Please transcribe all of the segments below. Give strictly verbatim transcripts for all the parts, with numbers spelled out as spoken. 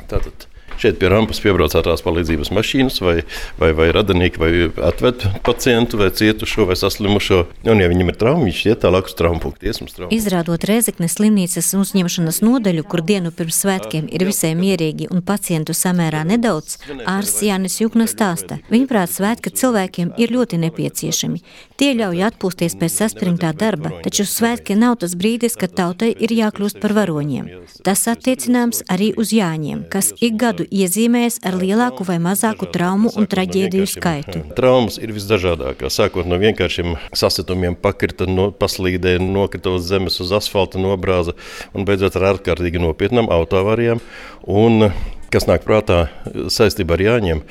Tātad šeit pie rampas piebrauc ātrās palīdzības mašīnas vai, vai, vai radinieki, vai atved pacientu, vai cietušo, vai saslimušo. Un, ja viņam ir trauma, viņš iet tālāk uz traumu punktu. Izrādot Rēzeknes slimnīcas uzņemšanas nodaļu, kur dienu pirms svētkiem ir visai mierīgi un pacientu samērā nedaudz, ārsts Jānis Jukna stāsta. Viņuprāt, svētki cilvēkiem ir ļoti nepieciešami. Tie ļauj atpūsties pēc saspringtā darba, taču svētki nav tas brīdis, kad tautai ir jākļūst par varoņiem. Tas attiecināms arī uz Jāņiem, kas ik gadu iezīmējas ar lielāku vai mazāku traumu un traģēdiju skaitu. Traumas ir visdažādākās, sākot no vienkāršiem sasitumiem, pakrita, no, paslīdē, nokrita uz zemes, uz asfalta, nobrāza un beidzot ar ārkārtīgi nopietnām autoavārijām. Un, kas nāk prātā saistībā ar Jāņiem,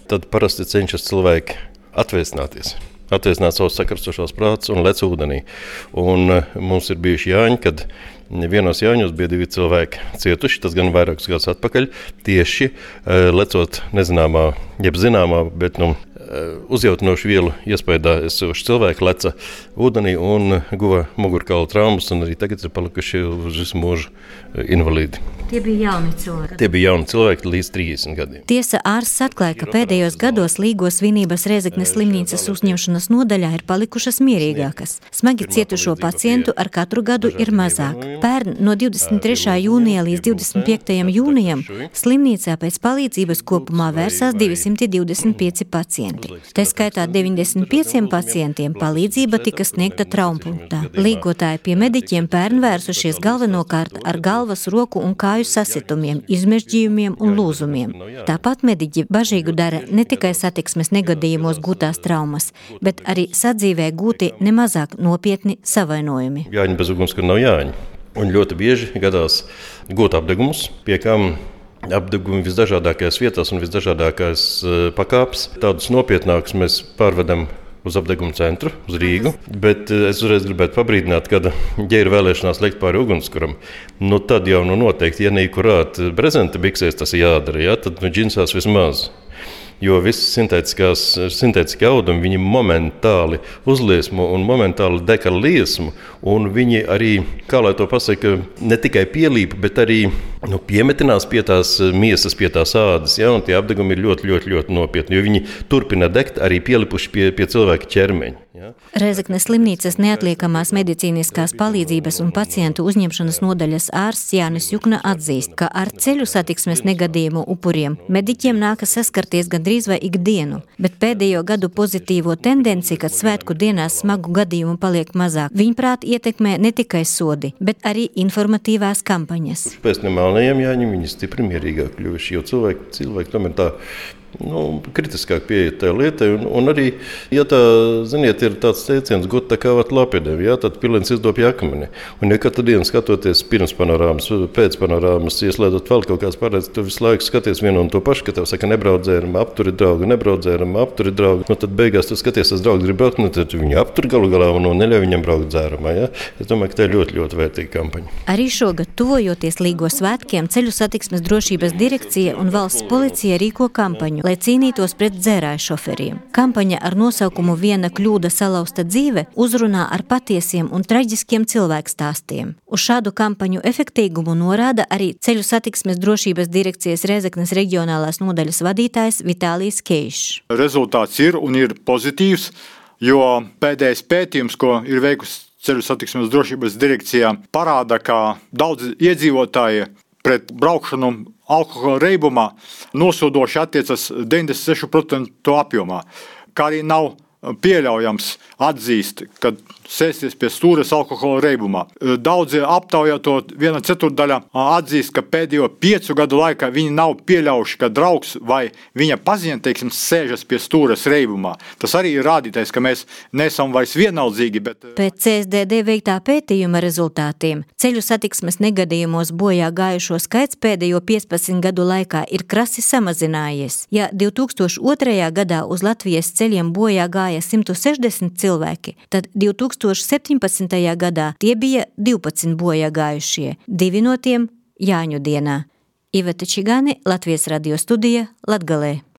tad parasti cenšas cilvēki atvēsināties. Atvēsināt savus sakarstošos prātus un lec ūdenī. Un mums ir bijuši Jāņi, kad vienos Jāņos bija divi cilvēki cietuši, tas gan vairākus gadus atpakaļ, tieši lecot nezināmā, jeb zināmā, bet nu, uzjautinošu vielu iespējā esoši cilvēki leca ūdenī un guva mugurkaula traumas, un arī tagad ir palikuši uz visu mūžu invalīdi. Tie bija jauni cilvēki. Tie bija jauni cilvēki līdz trīsdesmit gadiem. Tiesa, ārsts atklāja, ka pēdējos gados Līgo svinības Rēzeknes slimnīcas uzņemšanas nodaļā ir palikušas mierīgākas. Smagi cietušo pacientu ar katru gadu ir mazāk. Pērn no divdesmit trešā jūnija līdz divdesmit piektajam jūnijam slimnīcā pēc palīdzības kopumā vērsās divsimt divdesmit pieci pacienti. Tā skaitā deviņdesmit pieciem pacientiem palīdzība tika sniegta traumpunktā. Līgotāji pie mediķiem pērn vērsušies galvenokārt ar galvas, roku un kāju sasitumiem, izmežģījumiem un lūzumiem. Tāpat mediķi bažīgu dara ne tikai satiksmes negadījumos gūtās traumas, bet arī sadzīvē gūti nemazāk nopietni savainojumi. Jāņi bez ugunskura nav Jāņi. Un ļoti bieži gadās gūt apdegumus, pie kam apdegumi visdažādākajās vietās un visdažādākās pakāpes. Tādus nopietnākus mēs pārvedam uz apdegumu centru, uz Rīgu, bet es uzreiz gribētu pabrīdināt, kad, ja ir vēlēšanās liekt pāri ugunskuram, nu tad jau nu noteikti, ja nekurāt brezenta biksēs tas jādara, ja, tad nu džinsās vismaz. Jo visi sintētiskie audumi, viņi momentāli uzliesmo un momentāli deka liesmu, un viņi arī, kā lai to pasaka, ne tikai pielīpa, bet arī nu, piemetinās pie tās miesas, pie tās ādas, ja, un tie apdegumi ir ļoti, ļoti, ļoti nopietni, jo viņi turpina degt arī pielipuši pie, pie cilvēka ķermeņa. Ja. Rēzeknes slimnīcas neatliekamās medicīniskās palīdzības un pacientu uzņemšanas nodaļas ārsts Jānis Jukna atzīst, ka ar ceļu satiksmes negadījumu upuriem mediķiem nākas saskarties gandrīz vai ikdienu, bet pēdējo gadu pozitīvo tendenci, kad svētku dienās smagu gadījumu paliek mazāk, viņprāt ietekmē ne tikai sodi, bet arī informatīvās kampaņas. Pēc nemelnējiem Jāņiem viņi stipri mierīgāk kļuvuši, jo cilvēki, cilvēki tomēr tā nu, kritiskāk pieiet tajā lietai, un, un arī, ja tā, ziniet, ir tāds teiciens, got tā kā vat lapidēm, jā, tad pilens izdopja akmeni. Un ja katru dienu skatoties pirms panorāmas, pēc panorāmas, ieslēdot vēl kaut kāds pārēdz, tu visu laiku skaties vienu un to pašu, ka tev saka nebraudzēram, apturi draugu, nebraudzēram, apturi draugu, nu tad beigās tu skaties, tas draugs grib braukt, nu tad viņu apturi galu galā un neļauj viņam braukt dzērumā, jā. Es domāju, ka tā ir ļoti, ļoti vērtīga kampaņa. Arī šogad, tuvojoties Līgo svētkiem, Ceļu satiksmes drošības direkcija un valsts policija rīko kampaņu, lai cīnītos pret dzērāju šoferiem. Kampaņa ar nosaukumu Viena kļūda salausta dzīve uzrunā ar patiesiem un traģiskiem cilvēkstāstiem. Uz šādu kampaņu efektīgumu norāda arī Ceļu satiksmes drošības direkcijas Rēzeknes reģionālās nodaļas vadītājs Vitālijs Keišs. Rezultāts ir un ir pozitīvs, jo pēdējais pētījums, ko ir veikusi Ceļu satiksmes drošības direkcijā, parāda, ka daudz iedzīvotāji pret braukšanu alkohola reibumā nosodoši attiecas deviņdesmit seši procenti apjomā, kā arī nav pieļaujams atzīst, ka sēsties pie stūres alkohola reibumā. Daudzi aptaujāto viena ceturdaļa atzīst, ka pēdējo piecu gadu laikā viņi nav pieļaujuši, ka draugs vai viņa paziņa, teiksim, sēžas pie stūres reibumā. Tas arī ir rādītais, ka mēs nesam vairs vienaldzīgi, bet... Pēc C S D D veiktā pētījuma rezultātiem ceļu satiksmes negadījumos bojā gājušo skaits pēdējo piecpadsmit gadu laikā ir krasi samazinājies. Ja divi tūkstoši otrajā gadā uz Latvijas ceļiem bojā gāja simt sešdesmit cilvēki, tad divi tūkstoši septiņpadsmitajā gadā tie bija divpadsmit bojā gājušie, divi no tiem Jāņu dienā. Iveta Čigāne, Latvijas radio studija, Latgalē.